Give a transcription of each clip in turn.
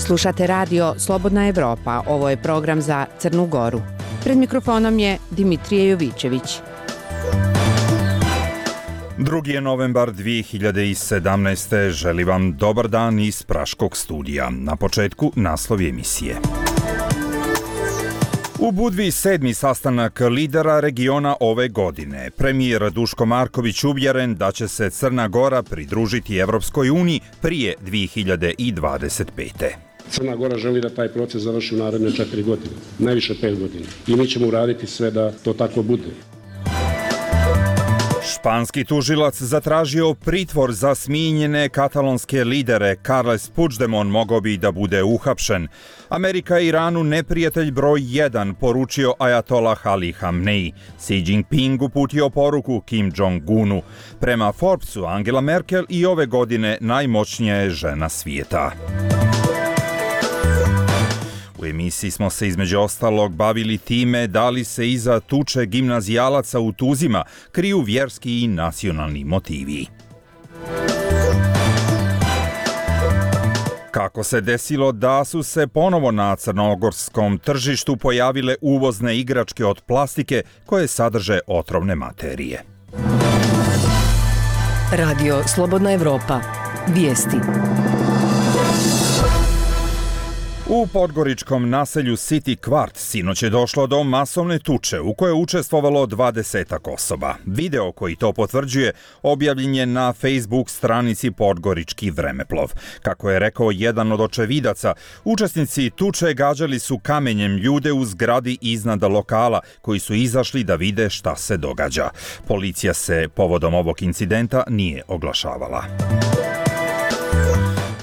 Slušate radio Slobodna Evropa, ovo je program za Crnu Goru. Pred mikrofonom je Dimitrije Jovićević. 2. je novembar 2017. Želi vam dobar dan iz Praškog studija. Na početku naslov emisije. U Budvi 7. sastanak lidera regiona ove godine. Premijer Duško Marković uvjeren da će se Crna Gora pridružiti Evropskoj uniji prije 2025. Crna Gora želi da taj proces završi u naredne 4 godine, najviše 5 godina. I mi ćemo uraditi sve da to tako bude. Španski tužilac zatražio pritvor za smijenjene katalonske lidere. Carles Puigdemont mogao bi da bude uhapšen. Amerika je Iranu neprijatelj broj 1, poručio Ajatolah Ali Hamneji. Xi Jinping uputio poruku Kim Jong-unu. Prema Forbesu, Angela Merkel i ove godine najmoćnija je žena svijeta. U emisiji smo se između ostalog bavili time da li se iza tuče gimnazijalaca u Tuzima kriju vjerski i nacionalni motivi. Kako se desilo da su se ponovo na crnogorskom tržištu pojavile uvozne igračke od plastike koje sadrže otrovne materije. Radio Slobodna Evropa. Vijesti. U podgoričkom naselju City Kvart sinoć je došlo do masovne tuče u kojoj je učestvovalo 20 osoba. Video koji to potvrđuje objavljen je na Facebook stranici Podgorički vremeplov. Kako je rekao jedan od očevidaca, učesnici tuče gađali su kamenjem ljude u zgradi iznad lokala koji su izašli da vide šta se događa. Policija se povodom ovog incidenta nije oglašavala.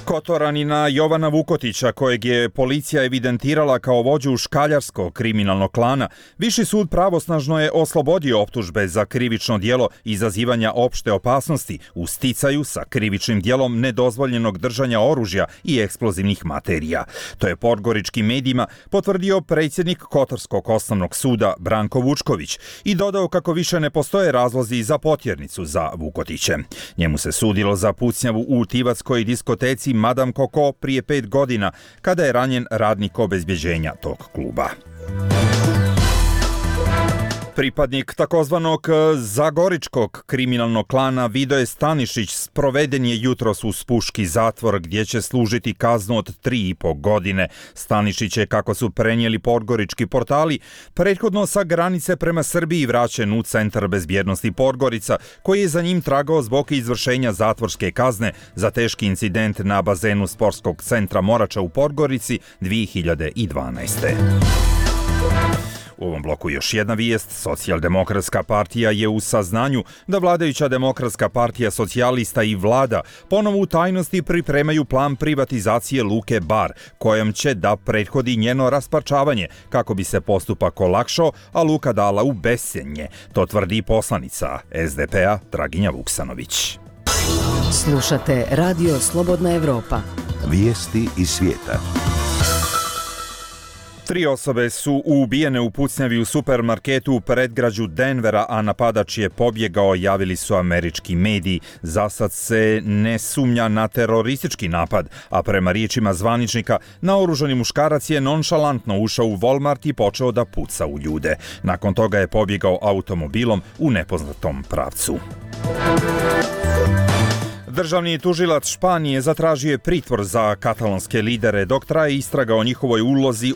Kotoranina Jovana Vukotića, kojeg je policija evidentirala kao vođu škaljarskog kriminalnog klana, Viši sud pravosnažno je oslobodio optužbe za krivično djelo izazivanja opšte opasnosti u sticaju sa krivičnim djelom nedozvoljenog držanja oružja i eksplozivnih materija. To je podgoričkim medijima potvrdio predsjednik Kotorskog osnovnog suda Branko Vučković i dodao kako više ne postoje razlozi za potjernicu za Vukotiće. Njemu se sudilo za pucnjavu u Tivatskoj diskoteci Madame Coco prije 5 godina, kada je ranjen radnik obezbjeđenja tog kluba. Pripadnik takozvanog zagoričkog kriminalnog klana Vidoje Stanišić sproveden je jutros u Spuški zatvor gdje će služiti kaznu od 3,5 godine. Stanišić je, kako su prenijeli podgorički portali, prethodno sa granice prema Srbiji vraćen u Centar bezbjednosti Podgorica, koji je za njim tragao zbog izvršenja zatvorske kazne za teški incident na bazenu sportskog centra Morača u Podgorici 2012. U ovom bloku još jedna vijest. Socijaldemokratska partija je u saznanju da vladajuća Demokratska partija socijalista i vlada ponovo u tajnosti pripremaju plan privatizacije Luke Bar, kojom će da prethodi njeno rasparčavanje kako bi se postupak olakšao, a Luka dala u bescenje. To tvrdi poslanica SDP-a Draginja Vuksanović. Slušate Radio Slobodna Evropa. Vijesti iz svijeta. 3 osobe su ubijene u pucnjavi u supermarketu u predgrađu Denvera, a napadač je pobjegao, javili su američki mediji. Zasad se ne sumnja na teroristički napad, a prema riječima zvaničnika, naoružani muškarac je nonšalantno ušao u Walmart i počeo da puca u ljude. Nakon toga je pobjegao automobilom u nepoznatom pravcu. Državni tužilac Španije zatražio je pritvor za katalonske lidere dok traje istraga o njihovoj ulozi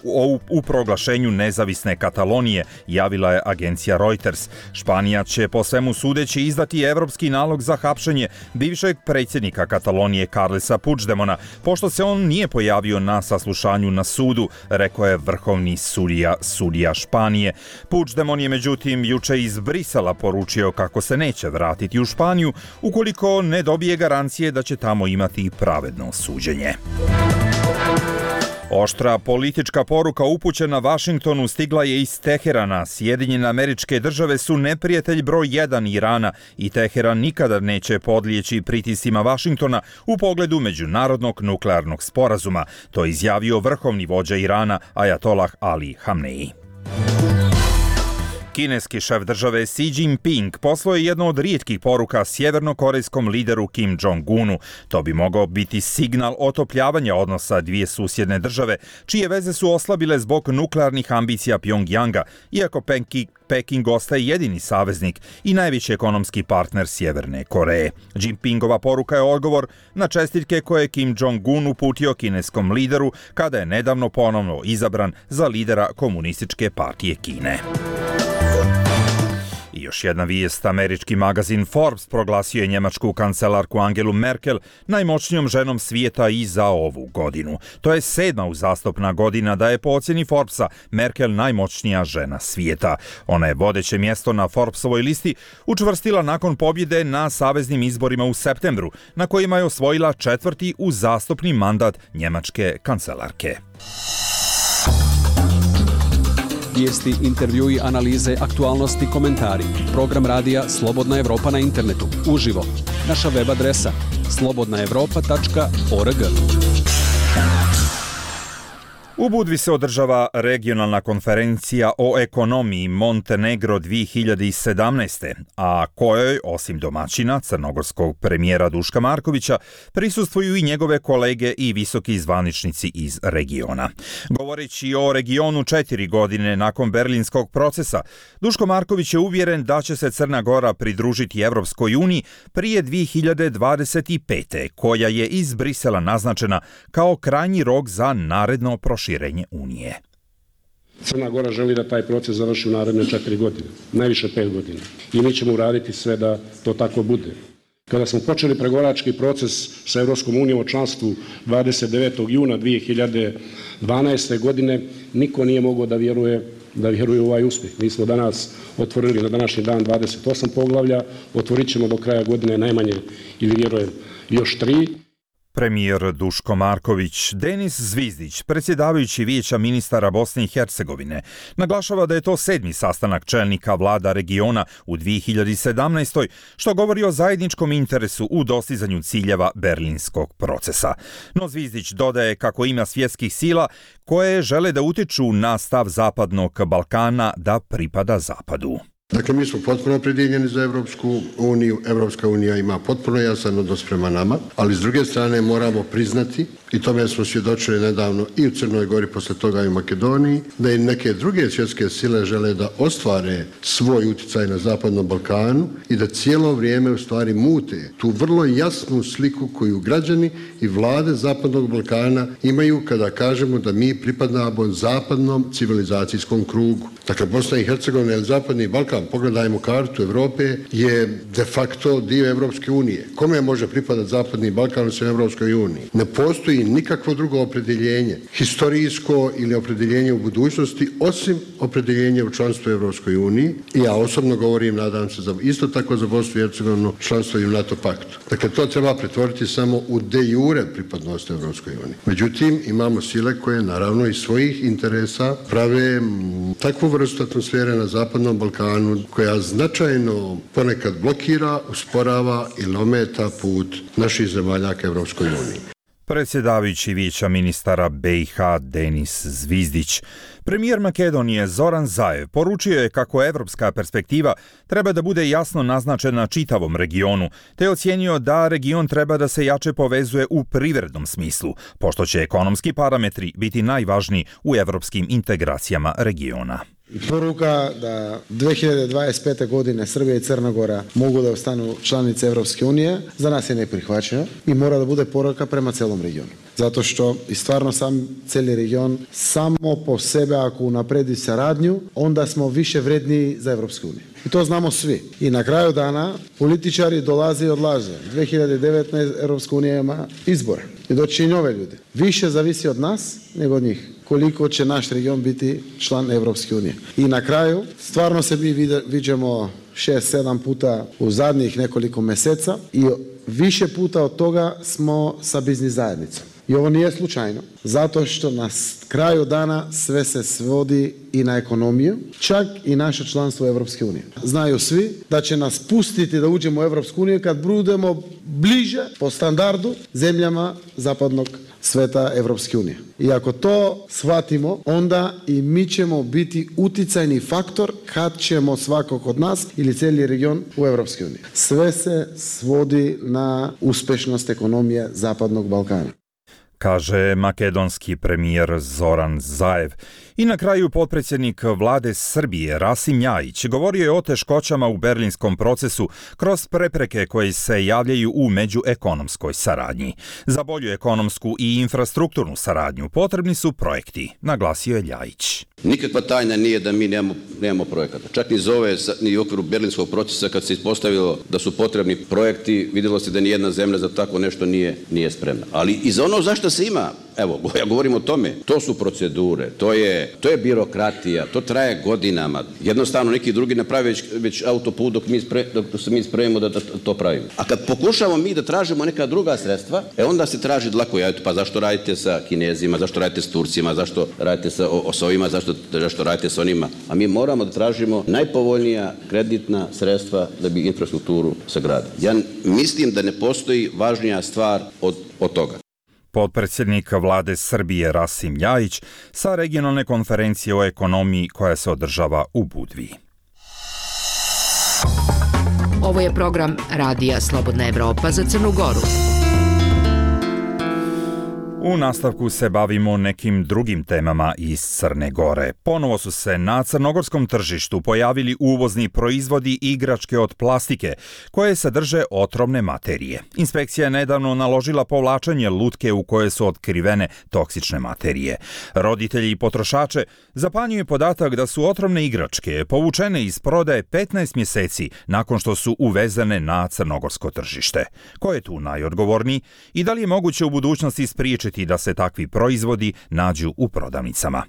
u proglašenju nezavisne Katalonije, javila je agencija Reuters. Španija će po svemu sudeći izdati evropski nalog za hapšenje bivšeg predsjednika Katalonije Carlesa Puigdemona, pošto se on nije pojavio na saslušanju na sudu, rekao je vrhovni sudija Španije. Puigdemon je međutim juče iz Brisela poručio kako se neće vratiti u Španiju ukoliko ne dobije garancije da će tamo imati pravedno suđenje. Oštra politička poruka upućena Vašingtonu stigla je iz Teherana. Sjedinjene Američke Države su neprijatelj broj 1 Irana i Teheran nikada neće podlijeći pritiscima Vašingtona u pogledu međunarodnog nuklearnog sporazuma. To je izjavio vrhovni vođa Irana Ajatolah Ali Hamneji. Kineski šef države Xi Jinping poslao je jednu od rijetkih poruka sjevernokorejskom lideru Kim Jong-unu. To bi mogao biti signal otopljavanja odnosa dvije susjedne države, čije veze su oslabile zbog nuklearnih ambicija Pjongjanga, iako Peking ostaje jedini saveznik i najveći ekonomski partner Sjeverne Koreje. Jinpingova poruka je odgovor na čestitke koje je Kim Jong-un uputio kineskom lideru kada je nedavno ponovno izabran za lidera Komunističke partije Kine. I još jedna vijest, američki magazin Forbes proglasio je njemačku kancelarku Angelu Merkel najmoćnijom ženom svijeta i za ovu godinu. To je 7. uzastopna godina da je po ocjeni Forbesa Merkel najmoćnija žena svijeta. Ona je vodeće mjesto na Forbesovoj listi učvrstila nakon pobjede na saveznim izborima u septembru, na kojima je osvojila 4. uzastopni mandat njemačke kancelarke. Vijesti, intervjui, analize, aktualnosti, komentari. Program radija Slobodna Evropa na internetu. Uživo. Naša web adresa slobodnaevropa.org. U Budvi se održava regionalna konferencija o ekonomiji Montenegro 2017. a kojoj, osim domaćina, crnogorskog premijera Duška Markovića, prisustvuju i njegove kolege i visoki zvaničnici iz regiona. Govoreći o regionu 4 godine nakon berlinskog procesa, Duško Marković je uvjeren da će se Crna Gora pridružiti Evropskoj uniji prije 2025. koja je iz Brisela naznačena kao krajnji rok za naredno proširenje Unije. Crna Gora želi da taj proces završi u naredne 4 godine, najviše 5 godina. I mi ćemo uraditi sve da to tako bude. Kada smo počeli pregovarački proces sa Evropskom unijom o članstvu 29. juna 2012. godine, niko nije mogao da vjeruje u ovaj uspjeh. Mi smo danas otvorili na današnji dan 28 poglavlja, otvorit ćemo do kraja godine najmanje, ili vjerujem, još 3. Premijer Duško Marković. Denis Zvizdić, predsjedavajući Vijeća ministara Bosne i Hercegovine, naglašava da je to 7. sastanak čelnika vlada regiona u 2017. što govori o zajedničkom interesu u dostizanju ciljeva berlinskog procesa. No Zvizdić dodaje kako ima svjetskih sila koje žele da utiču na stav Zapadnog Balkana da pripada Zapadu. Dakle, mi smo potpuno opredjeljeni za Evropsku uniju. Evropska unija ima potpuno jasan odnos prema nama, ali s druge strane moramo priznati, i tome smo svjedočili nedavno i u Crnoj Gori, posle toga i u Makedoniji, da i neke druge svjetske sile žele da ostvare svoj utjecaj na Zapadnom Balkanu i da cijelo vrijeme u stvari mute tu vrlo jasnu sliku koju građani i vlade Zapadnog Balkana imaju kada kažemo da mi pripadamo zapadnom civilizacijskom krugu. Dakle, Bosna i Hercegovina ili Zapadni Balkan, pogledajmo kartu Europe, je de facto dio Evropske unije. Kome može pripadati Zapadni Balkan u Evropskoj uniji? Ne postoji nikakvo drugo opredjeljenje, historijsko ili opredjeljenje u budućnosti, osim opredjeljenja u članstvu Evropskoj uniji. I ja osobno govorim, nadam se, isto tako za Bosnu i Hercegovinu, članstvo i u NATO paktu. Dakle, to treba pretvoriti samo u de jure pripadnost Evropskoj uniji. Međutim, imamo sile koje naravno iz svojih interesa prave takvu vrstu atmosfere na Zapadnom Balkanu koja značajno ponekad blokira, usporava ili ometa put naših zemalja ka Evropskoj uniji. Predsjedavajući Vijeća ministara BiH Denis Zvizdić. Premijer Makedonije Zoran Zaev poručio je kako evropska perspektiva treba da bude jasno naznačena čitavom regionu, te je ocijenio da region treba da se jače povezuje u privrednom smislu, pošto će ekonomski parametri biti najvažniji u evropskim integracijama regiona. Poruka da 2025. godine Srbija i Crna Gora mogu da ostanu članice Evropske unije za nas je neprihvaćena i mora da bude poruka prema celom regionu. Zato što i stvarno sam cijeli region samo po sebe ako unapredi saradnju, onda smo više vredniji za Evropsku uniju. I to znamo svi. I na kraju dana političari dolaze i odlaze. 2019. Evropska unija ima izbore i doći i nove ljude. Više zavisi od nas nego od njih. Koliko će naš region biti član Evropske unije. I na kraju, stvarno se mi viđamo 6-7 puta u zadnjih nekoliko mjeseca i više puta od toga smo sa biznis zajednicom. I ovo nije slučajno, zato što na kraju dana sve se svodi i na ekonomiju, čak i naše članstvo u Europske unije. Znaju svi da će nas pustiti da uđemo u Europsku uniju kad budemo bliže po standardu zemljama zapadnog sveta Europske unije. I ako to shvatimo, onda i mi ćemo biti uticajni faktor kad ćemo svakog od nas ili cijeli region u Europskoj uniji. Sve se svodi na uspješnost ekonomije Zapadnog Balkana, kaže makedonski premijer Zoran Zaev. I na kraju potpredsjednik vlade Srbije Rasim Ljajić govorio je o teškoćama u berlinskom procesu kroz prepreke koje se javljaju u međuekonomskoj saradnji. Za bolju ekonomsku i infrastrukturnu saradnju potrebni su projekti, naglasio je Ljajić. Nikakva tajna nije da mi nemamo projekata. Čak ni u okviru berlinskog procesa kad se ispostavilo da su potrebni projekti, vidjelo se da nijedna zemlja za tako nešto nije spremna. Ali i za ono zašto se ima, evo, ja govorim o tome, to su procedure, to je birokratija, to traje godinama. Jednostavno neki drugi naprave već autoput dok se mi spremimo da to pravimo. A kad pokušamo mi da tražimo neka druga sredstva, onda se traži dlako, pa zašto radite sa Kinezima, zašto radite s Turcima, zašto radite sa ovima, zašto radite s onima. A mi moramo da tražimo najpovoljnija kreditna sredstva da bi infrastrukturu sagradili. Ja mislim da ne postoji važnija stvar od toga. Potpredsjednik vlade Srbije Rasim Ljajić sa regionalne konferencije o ekonomiji koja se održava u Budvi. Ovo je program Radija Slobodna Evropa za Crnu Goru. U nastavku se bavimo nekim drugim temama iz Crne Gore. Ponovo su se na crnogorskom tržištu pojavili uvozni proizvodi i igračke od plastike koje sadrže otrovne materije. Inspekcija je nedavno naložila povlačenje lutke u koje su otkrivene toksične materije. Roditelji i potrošače zapanjuje podatak da su otrovne igračke povučene iz prodaje 15 mjeseci nakon što su uvezene na crnogorsko tržište. Ko je tu najodgovorniji i da li je moguće u budućnosti spriječiti da se takvi proizvodi nađu u prodavnicama?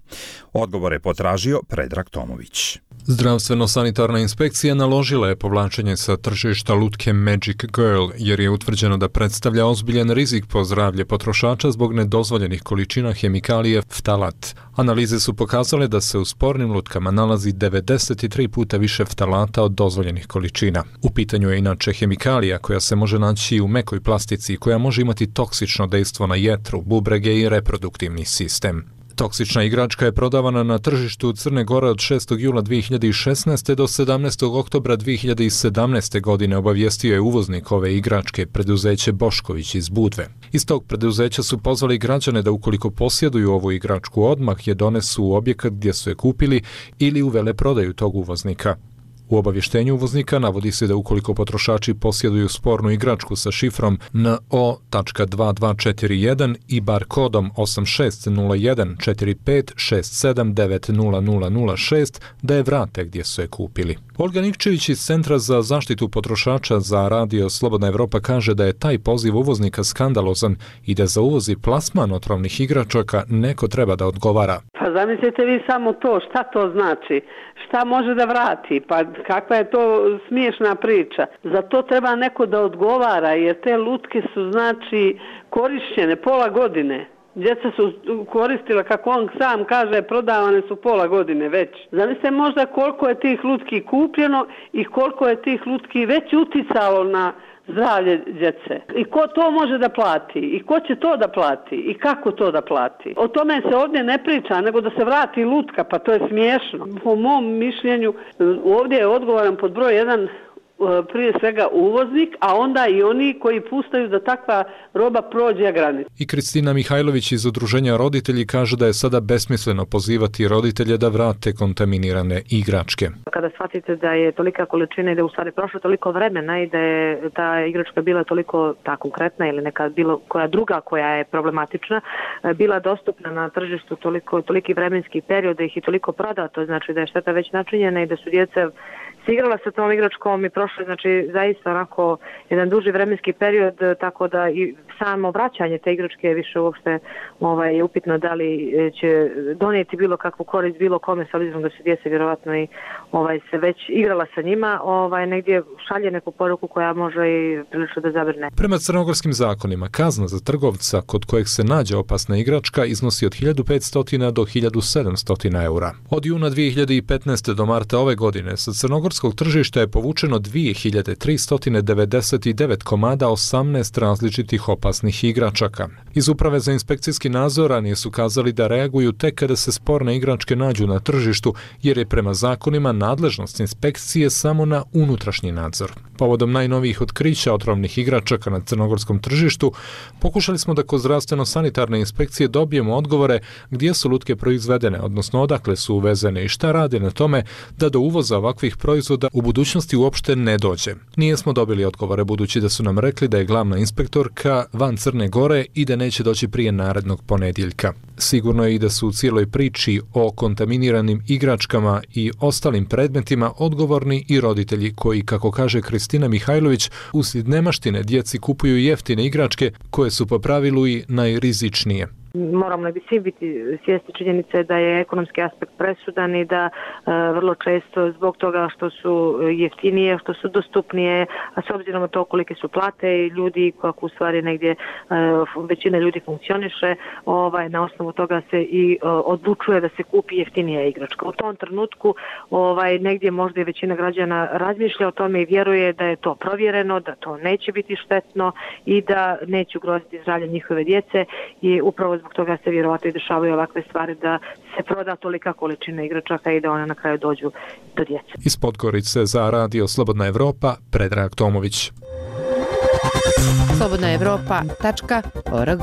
Odgovor je potražio Predrag Tomović. Zdravstveno-sanitarna inspekcija naložila je povlačenje sa tržišta lutke Magic Girl jer je utvrđeno da predstavlja ozbiljan rizik po zdravlje potrošača zbog nedozvoljenih količina hemikalije ftalat. Analize su pokazale da se u spornim lutkama nalazi 93 puta više ftalata od dozvoljenih količina. U pitanju je inače hemikalija koja se može naći u mekoj plastici i koja može imati toksično dejstvo na jetru, bubrege i reproduktivni sistem. Toksična igračka je prodavana na tržištu Crne Gore od 6. jula 2016. do 17. oktobra 2017. godine, obavijestio je uvoznik ove igračke, preduzeće Bošković iz Budve. Iz tog preduzeća su pozvali građane da ukoliko posjeduju ovu igračku odmah je donesu u objekat gdje su je kupili ili u veleprodaju tog uvoznika. U obavještenju uvoznika navodi se da ukoliko potrošači posjeduju spornu igračku sa šifrom NO.2241 i bar kodom 86014567900006 da je vrate gdje su je kupili. Olga Nikčević iz Centra za zaštitu potrošača za Radio Slobodna Evropa kaže da je taj poziv uvoznika skandalozan i da za uvoz i plasman otrovnih igračaka neko treba da odgovara. Pa zamislite vi samo to, šta to znači? Šta može da vrati? Pa kakva je to smiješna priča? Za to treba neko da odgovara, jer te lutke su znači korišćene pola godine. Djeca su koristila, kako on sam kaže, prodavane su pola godine već. Zamislite možda koliko je tih lutki kupljeno i koliko je tih lutki već uticalo na zdravlje djece. I ko to može da plati? I ko će to da plati? I kako to da plati? O tome se ovdje ne priča, nego da se vrati lutka, pa to je smiješno. Po mom mišljenju, ovdje je odgovoran pod broj 1 prije svega uvoznik, a onda i oni koji puštaju da takva roba prođe granicu. I Kristina Mihajlović iz Udruženja roditelji kaže da je sada besmisleno pozivati roditelje da vrate kontaminirane igračke. Kada shvatite da je tolika količina i da je u stvari prošlo toliko vremena i da je ta igračka bila toliko konkretna ili neka bilo koja druga koja je problematična, bila dostupna na tržištu toliki vremenski period da ih je toliko prodato, znači da je šteta već načinjena i da su djeca se igrala sa tom igračkom i prošlo, znači zaista onako jedan duži vremenski period, tako da i samo vraćanje te igračke više uopšte je upitno da li će donijeti bilo kakvu korist bilo kome, s obzirom da su djeca vjerovatno i se već igrala sa njima, negdje šalje neku poruku koja može i prilično da zabrne. Prema crnogorskim zakonima, kazna za trgovca kod kojeg se nađe opasna igračka iznosi od 1500 do 1700 eura. Od juna 2015. do marta ove godine sa crnogorskog tržišta je povučeno 2399 komada 18 različitih opasnih igračaka. Iz Uprave za inspekcijski nadzor ranije su kazali da reaguju tek kada se sporne igračke nađu na tržištu, jer je prema zakonima nadležnost inspekcije samo na unutrašnji nadzor. Povodom najnovijih otkrića otrovnih igračaka na crnogorskom tržištu, pokušali smo da kod zdravstveno-sanitarne inspekcije dobijemo odgovore gdje su lutke proizvedene, odnosno odakle su uvezene i šta rade na tome da do uvoza ovakvih proizvoda u budućnosti uopšte ne dođe. Nijesmo dobili odgovore, budući da su nam rekli da je glavna inspektorka van Crne Gore i da neće doći prije narednog ponedjeljka. Sigurno je i da su u cijeloj priči o kontaminiranim igračkama i ostalim predmetima odgovorni i roditelji koji, kako kaže Kristina Mihajlović, uslijed nemaštine djeci kupuju jeftine igračke koje su po pravilu i najrizičnije. Moramo li bi svi biti svjesni činjenice da je ekonomski aspekt presudan i da vrlo često zbog toga što su jeftinije, što su dostupnije, a s obzirom na to kolike su plate i ljudi kako u stvari negdje većina ljudi funkcioniše, na osnovu toga se i odlučuje da se kupi jeftinija igračka. U tom trenutku negdje možda i većina građana razmišlja o tome i vjeruje da je to provjereno, da to neće biti štetno i da neće ugroziti zdravlje njihove djece i upravo zbog toga se vjerovatno i dešavaju ovakve stvari da se proda tolika količina igračaka i da one na kraju dođu do djece. Iz Podgorice za Radio Slobodna Evropa, Predrag Tomović. slobodnaevropa.org.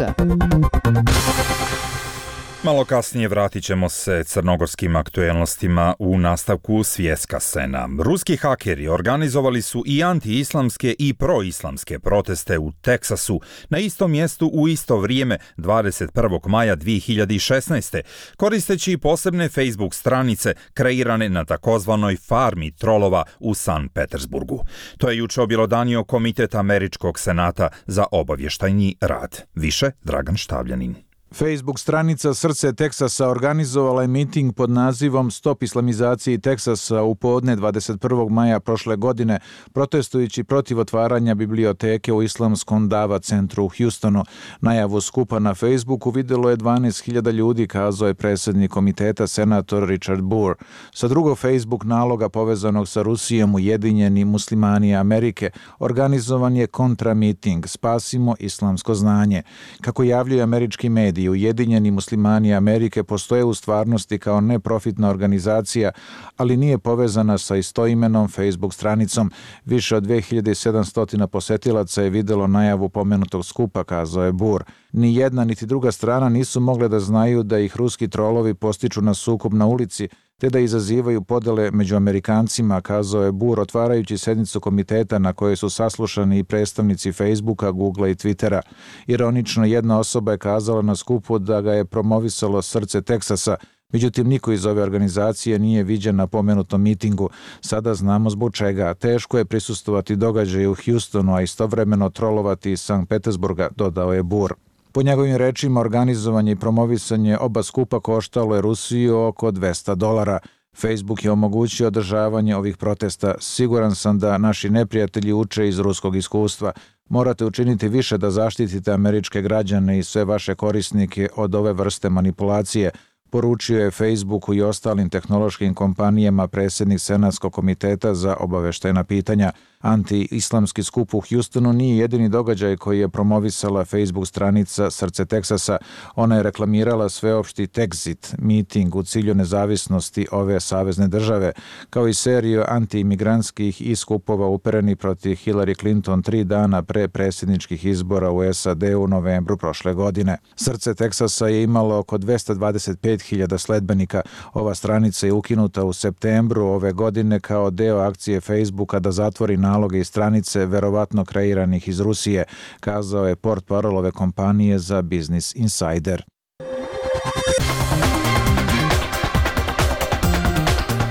Malo kasnije vratit ćemo se crnogorskim aktuelnostima u nastavku svjetska scena. Ruski hakeri organizovali su i anti-islamske i pro-islamske proteste u Teksasu na istom mjestu u isto vrijeme 21. maja 2016. koristeći posebne Facebook stranice kreirane na takozvanoj farmi trolova u San Petersburgu. To je juče objelodanio Komitet Američkog senata za obavještajni rad. Više Dragan Štavljanin. Facebook stranica Srce Teksasa organizovala je miting pod nazivom Stop islamizaciji Teksasa u podne 21. maja prošle godine, protestujući protiv otvaranja biblioteke u islamskom Dava centru u Houstonu. Najavu skupa na Facebooku vidjelo je 12.000 ljudi, kazao je predsjednik komiteta senator Richard Burr. Sa drugog Facebook naloga povezanog sa Rusijom Ujedinjeni muslimani Amerike organizovan je kontramiting Spasimo islamsko znanje. Kako javljaju američki mediji, Ujedinjeni muslimani Amerike postoje u stvarnosti kao neprofitna organizacija, ali nije povezana sa istoimenom Facebook stranicom. Više od 2700 posjetilaca je vidjelo najavu pomenutog skupa, kazao je Burr. Ni jedna niti druga strana nisu mogle da znaju da ih ruski trolovi postiču na sukob na ulici, te da izazivaju podele među Amerikancima, kazao je Burr, otvarajući sjednicu komiteta na kojoj su saslušani i predstavnici Facebooka, Googlea i Twittera. Ironično, jedna osoba je kazala na skupu da ga je promovisalo Srce Teksasa, međutim niko iz ove organizacije nije viđen na pomenutom mitingu. Sada znamo zbog čega. Teško je prisustvovati događaju u Houstonu, a istovremeno trolovati iz Sankt Petersburga, dodao je Burr. Po njegovim rečima, organizovanje i promovisanje oba skupa koštalo je Rusiju oko $200. Facebook je omogućio održavanje ovih protesta. Siguran sam da naši neprijatelji uče iz ruskog iskustva. Morate učiniti više da zaštitite američke građane i sve vaše korisnike od ove vrste manipulacije, poručio je Facebooku i ostalim tehnološkim kompanijama predsjednik Senatskog komiteta za obavještajna pitanja. Anti-islamski skup u Houstonu nije jedini događaj koji je promovisala Facebook stranica Srce Teksasa. Ona je reklamirala sveopšti Texit, miting u cilju nezavisnosti ove savezne države, kao i seriju anti-imigrantskih i skupova upereni protiv Hillary Clinton 3 dana pre predsjedničkih izbora u SAD u novembru prošle godine. Srce Teksasa je imalo oko 225.000 sledbenika. Ova stranica je ukinuta u septembru ove godine kao deo akcije Facebooka da zatvori naloge i stranice verovatno kreiranih iz Rusije, kazao je portparol ove kompanije za Business Insider.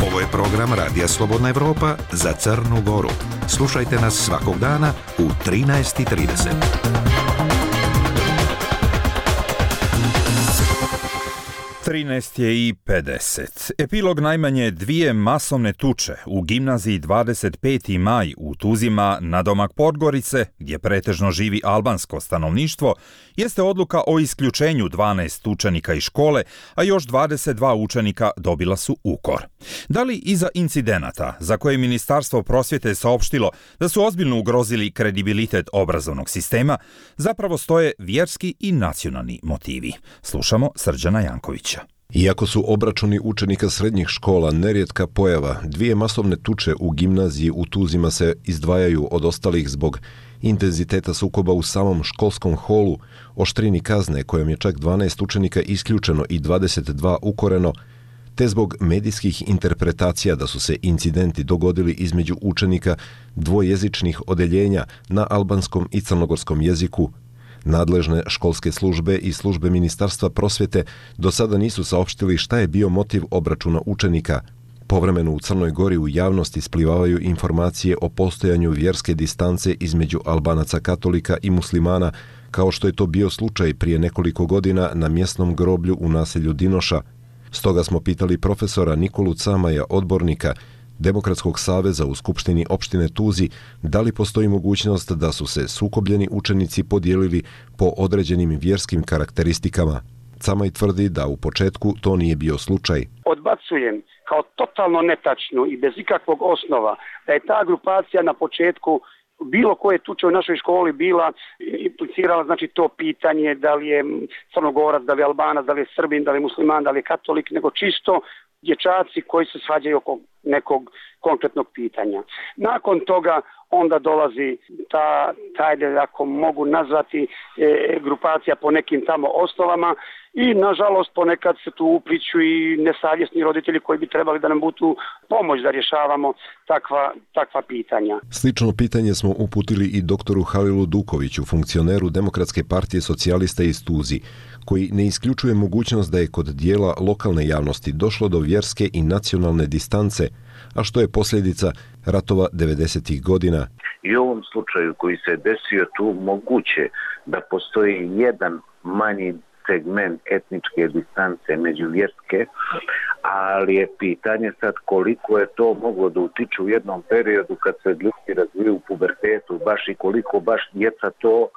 Ovo je program program Radija Slobodna Evropa za Crnu Goru. Slušajte nas svakog dana u 13:30. 13:50. Epilog najmanje 2 masovne tuče u gimnaziji 25. maj u Tuzima nadomak Podgorice, gdje pretežno živi albansko stanovništvo, jeste odluka o isključenju 12 učenika iz škole, a još 22 učenika dobila su ukor. Da li iza incidenata, za koje Ministarstvo prosvjete saopštilo da su ozbiljno ugrozili kredibilitet obrazovnog sistema, zapravo stoje vjerski i nacionalni motivi? Slušamo Srđana Jankovića. Iako su obračuni učenika srednjih škola nerijetka pojava, 2 masovne tuče u gimnaziji u Tuzima se izdvajaju od ostalih zbog intenziteta sukoba u samom školskom holu, oštrini kazne kojom je čak 12 učenika isključeno i 22 ukoreno, te zbog medijskih interpretacija da su se incidenti dogodili između učenika dvojezičnih odeljenja na albanskom i crnogorskom jeziku. Nadležne školske službe i službe Ministarstva prosvjete do sada nisu saopštili šta je bio motiv obračuna učenika. Povremeno u Crnoj Gori u javnosti isplivavaju informacije o postojanju vjerske distance između Albanaca katolika i muslimana, kao što je to bio slučaj prije nekoliko godina na mjesnom groblju u naselju Dinoša. Stoga smo pitali profesora Nikolu Camaja, odbornika Demokratskog saveza u Skupštini opštine Tuzi, da li postoji mogućnost da su se sukobljeni učenici podijelili po određenim vjerskim karakteristikama. Camaj tvrdi da u početku to nije bio slučaj. Odbacujem kao totalno netačnu i bez ikakvog osnova da je ta grupacija na početku bilo koje tuče u našoj školi bila implicirala, znači to pitanje da li je Crnogorac, da li je Albanac, da li je Srbin, da li je musliman, da li je katolik, nego čisto dječaci koji se svađaju oko nekog konkretnog pitanja. Nakon toga onda dolazi ta ako mogu nazvati, grupacija po nekim tamo osnovama i nažalost ponekad se tu upliću i nesavjesni roditelji koji bi trebali da nam budu pomoć da rješavamo takva pitanja. Slično pitanje smo uputili i doktoru Halilu Dukoviću, funkcioneru Demokratske partije socijalista iz Tuzi, koji ne isključuje mogućnost da je kod dijela lokalne javnosti došlo do vjerske i nacionalne distance, a što je posljedica ratova 90. godina. I u ovom slučaju koji se desio tu moguće da postoji jedan manji segment etničke distance međuvjerske, ali je pitanje sad koliko je to moglo da utiče u jednom periodu kad se ljudi razviju u pubertetu, baš i koliko baš djeca to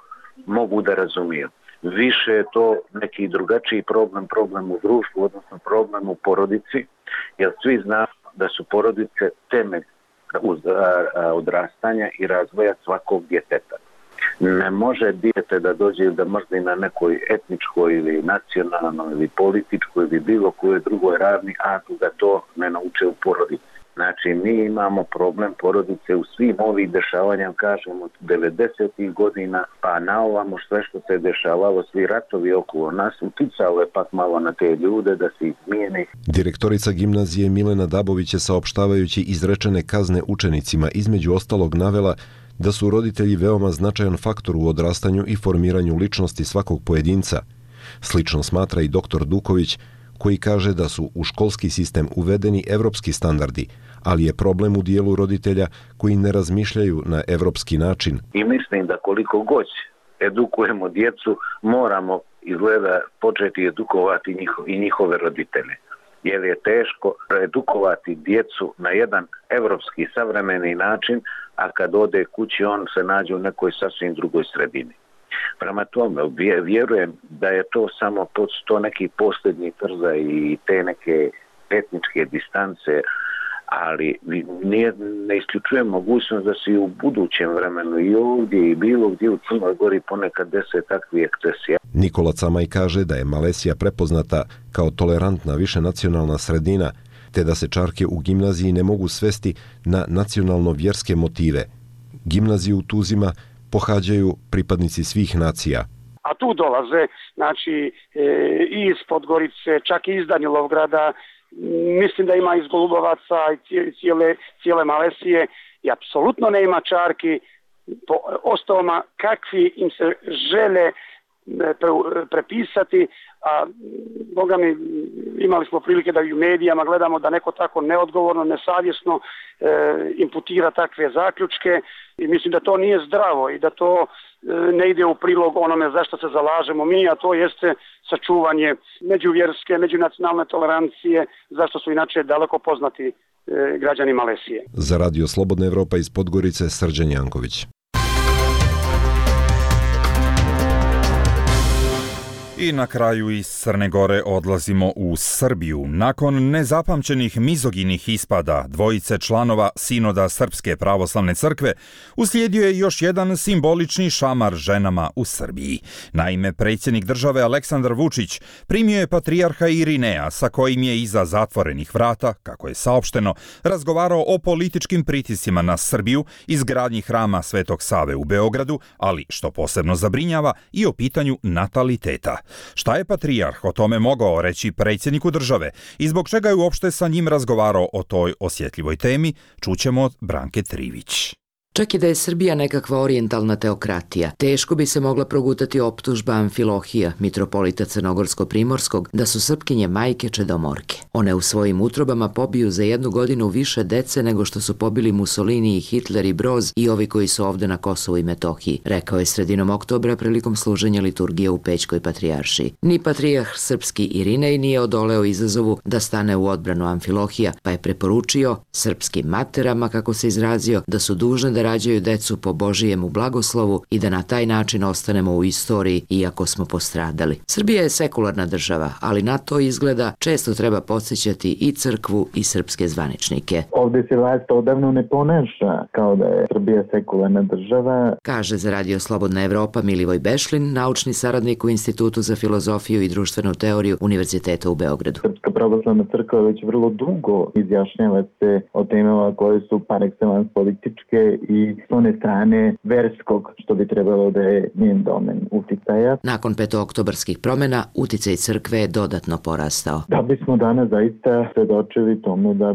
mogu da razumiju. Više je to neki drugačiji problem u društvu, odnosno problem u porodici, jer svi znamo da su porodice temelj odrastanja i razvoja svakog djeteta. Ne može dijete da dođe da mrzi na nekoj etničkoj ili nacionalnoj ili političkoj ili bilo kojoj drugoj ravni, a da to ne nauče u porodici. Znači, mi imamo problem porodice u svim ovih dešavanjem, kažemo, od 90. godina, pa na ovamo sve što se dešavalo, svi ratovi okolo nas, uticalo je pak malo na te ljude da se izmijeni. Direktorica gimnazije Milena Dabović je saopštavajući izrečene kazne učenicima između ostalog navela da su roditelji veoma značajan faktor u odrastanju i formiranju ličnosti svakog pojedinca. Slično smatra i doktor Duković, koji kaže da su u školski sistem uvedeni evropski standardi, ali je problem u dijelu roditelja koji ne razmišljaju na evropski način. I mislim da koliko god edukujemo djecu, moramo izgleda početi edukovati i njihove roditelje. Jer je teško edukovati djecu na jedan evropski savremeni način, a kad ode kući on se nađe u nekoj sasvim drugoj sredini. Prema tome, vjerujem da je to samo to neki posljednji trza i te neke etničke distance, ali ne isključujem mogućnost da se i u budućem vremenu i ovdje i bilo gdje u Crnoj Gori ponekad dese takvi ekscesija. Nikola Camaj kaže da je Malesija prepoznata kao tolerantna višenacionalna sredina, te da se čarke u gimnaziji ne mogu svesti na nacionalno-vjerske motive. Gimnaziju u Tuzima pohađaju pripadnici svih nacija. A tu dolaze, znači, i iz Podgorice, čak i iz Danilovgrada, mislim da ima iz Golubovaca i cijele Malesije i apsolutno ne ima čarki po osnovama kakvi im se žele prepisati a boga mi imali smo prilike da i u medijama gledamo da neko tako neodgovorno, nesavjesno imputira takve zaključke i mislim da to nije zdravo i da to ne ide u prilog onome zašto se zalažemo mi, a to jeste sačuvanje međuvjerske, međunacionalne tolerancije, zašto su inače daleko poznati građani Malezije. Za Radio Slobodna Evropa iz Podgorice, Srđan Janković. I na kraju iz Crne Gore odlazimo u Srbiju. Nakon nezapamćenih mizoginih ispada dvojice članova Sinoda Srpske pravoslavne crkve, uslijedio je još jedan simbolični šamar ženama u Srbiji. Naime, predsjednik države Aleksandar Vučić primio je patrijarha Irineja, sa kojim je iza zatvorenih vrata, kako je saopšteno, razgovarao o političkim pritiscima na Srbiju, izgradnji hrama Svetog Save u Beogradu, ali, što posebno zabrinjava, i o pitanju nataliteta. Šta je patrijarh o tome mogao reći predsjedniku države i zbog čega je uopšte sa njim razgovarao o toj osjetljivoj temi, čućemo od Branke Trivić. Čak i da je Srbija nekakva orijentalna teokratija, teško bi se mogla progutati optužba Amfilohija, mitropolita Crnogorsko-Primorskog, da su Srpkinje majke čedomorke. One u svojim utrobama pobiju za 1 godinu više dece nego što su pobili Mussolini i Hitler i Broz i ovi koji su ovde na Kosovu i Metohiji, rekao je sredinom oktobra prilikom služenja liturgije u Pećkoj patrijaršiji. Ni patrijarh srpski Irinej nije odoleo izazovu da stane u odbranu Amfilohija, pa je preporučio srpskim materama, kako se izrazio, da su dužne da rađaju decu po Božijemu blagoslovu i da na taj način ostanemo u istoriji iako smo postradali. Srbija je sekularna država, ali na to izgleda često treba podsjećati i crkvu i srpske zvaničnike. Ovdje se vlast odavno ne ponaša kao da je Srbija sekularna država, kaže za Radio Slobodna Evropa Milivoj Bešlin, naučni saradnik u Institutu za filozofiju i društvenu teoriju Univerziteta u Beogradu. Srpska pravoslavna crkva već vrlo dugo izjašnjava se o temama koje su par excellence političke i s one strane verskog, što bi trebalo da je njen domen uticaja. Nakon petooktobarskih promjena, uticaj crkve je dodatno porastao. Da bismo danas zaista svedočili tomu da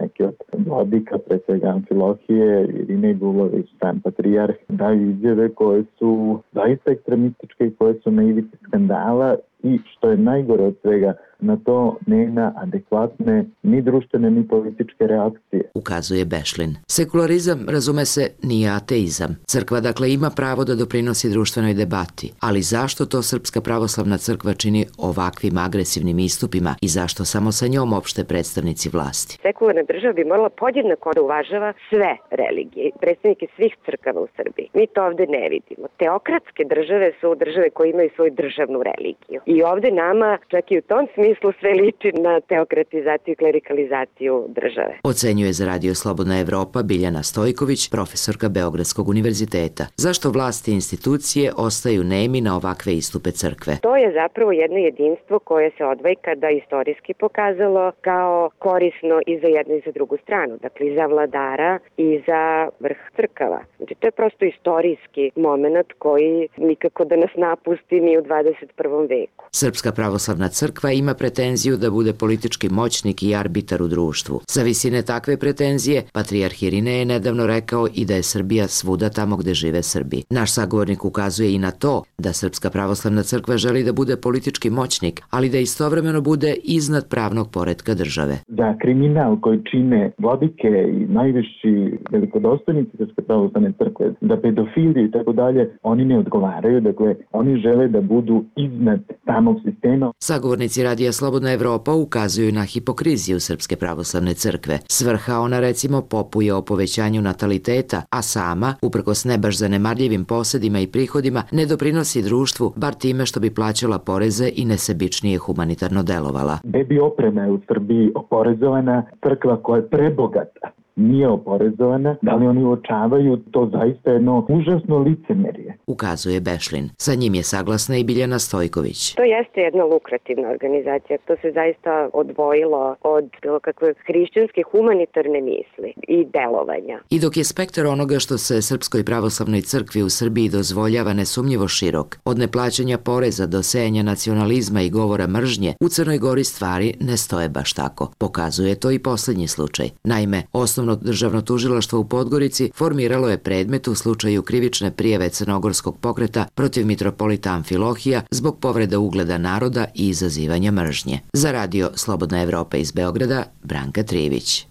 neki od vladika, pre svega Amfilohije, Irinej Dulović, sam patrijarh, daju izjave koje su zaista ekstremističke i koje su na ivici skandala i, što je najgore od svega, na to nema adekvatne ni društvene ni političke reakcije. Ukazuje Bešlin. Sekularizam, razume se, nije ateizam. Crkva dakle ima pravo da doprinosi društvenoj debati, ali zašto to Srpska pravoslavna crkva čini ovakvim agresivnim istupima i zašto samo sa njom opšte predstavnici vlasti? Sekularna država bi morala podjednako da uvažava sve religije, predstavnike svih crkava u Srbiji. Mi to ovde ne vidimo. Teokratske države su države koje imaju svoju državnu religiju. I ovde nama, čak i u tom smislu, sve liči na teokratizaciju i klerikalizaciju države. Ocenjuje za Radio Slobodna Evropa Biljana Stojković, profesorka Beogradskog univerziteta. Zašto vlasti i institucije ostaju nemi na ovakve istupe crkve? To je zapravo jedno jedinstvo koje se od vekada istorijski pokazalo kao korisno i za jednu i za drugu stranu. Dakle, i za vladara i za vrh crkava. Znači, to je prosto istorijski moment koji nikako da nas napusti ni u 21. veku. Srpska pravoslavna crkva ima pretenziju da bude politički moćnik i arbitar u društvu. Za visine takve pretenzije, patrijarh Irinej je nedavno rekao i da je Srbija svuda tamo gde žive Srbi. Naš sagovornik ukazuje i na to da Srpska pravoslavna crkva želi da bude politički moćnik, ali da istovremeno bude iznad pravnog poretka države. Da kriminal koji čine vladike i najviši velikodostojnici Srpske pravoslavne crkve, da pedofili i tako dalje, oni ne odgovaraju, dakle oni žele da budu iznad samog sistema. Sagovornici Radija Slobodna Evropa ukazuju na hipokriziju Srpske pravoslavne crkve. Svrha ona recimo popuje o povećanju nataliteta, a sama, uprkos ne baš zanemarljivim posedima i prihodima, ne doprinosi društvu, bar time što bi plaćala poreze i nesebičnije humanitarno delovala. Bebi oprema je u Srbiji oporezovana, crkva koja je prebogata nije oporezovana, da li oni uočavaju to zaista jedno užasno licemerje? Ukazuje Bešlin. Sa njim je saglasna i Biljana Stojković. To jeste jedna lukrativna organizacija. To se zaista odvojilo od bilo kakve hrišćanske humanitarne misli i delovanja. I dok je spektar onoga što se Srpskoj pravoslavnoj crkvi u Srbiji dozvoljava nesumnjivo širok, od neplaćanja poreza do sejanja nacionalizma i govora mržnje, u Crnoj Gori stvari ne stoje baš tako. Pokazuje to i posljednji slučaj. Naime, osnovno Specijalno državno tužilaštvo u Podgorici formiralo je predmet u slučaju krivične prijave crnogorskog pokreta protiv mitropolita Amfilohija zbog povrede ugleda naroda i izazivanja mržnje. Za radio Slobodna Evropa iz Beograda, Branka Trivić.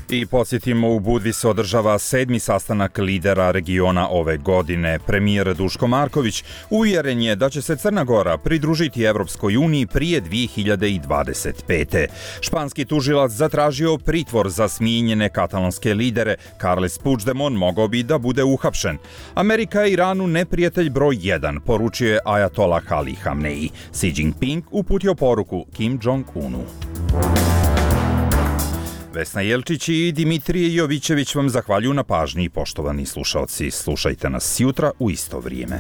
I podsjetimo, u Budvi se održava 7. sastanak lidera regiona ove godine. Premijer Duško Marković uvjeren je da će se Crna Gora pridružiti Evropskoj uniji prije 2025. Španski tužilac zatražio pritvor za smijenjene katalonske lidere. Carles Puigdemont mogao bi da bude uhapšen. Amerika je Iranu neprijatelj broj 1, poručio je Ajatolah Ali Hamneji. Xi Jinping uputio poruku Kim Jong-unu. Vesna Jelčić i Dimitrije Jovićević vam zahvaljuju na pažnji, poštovani slušaoci. Slušajte nas jutra u isto vrijeme.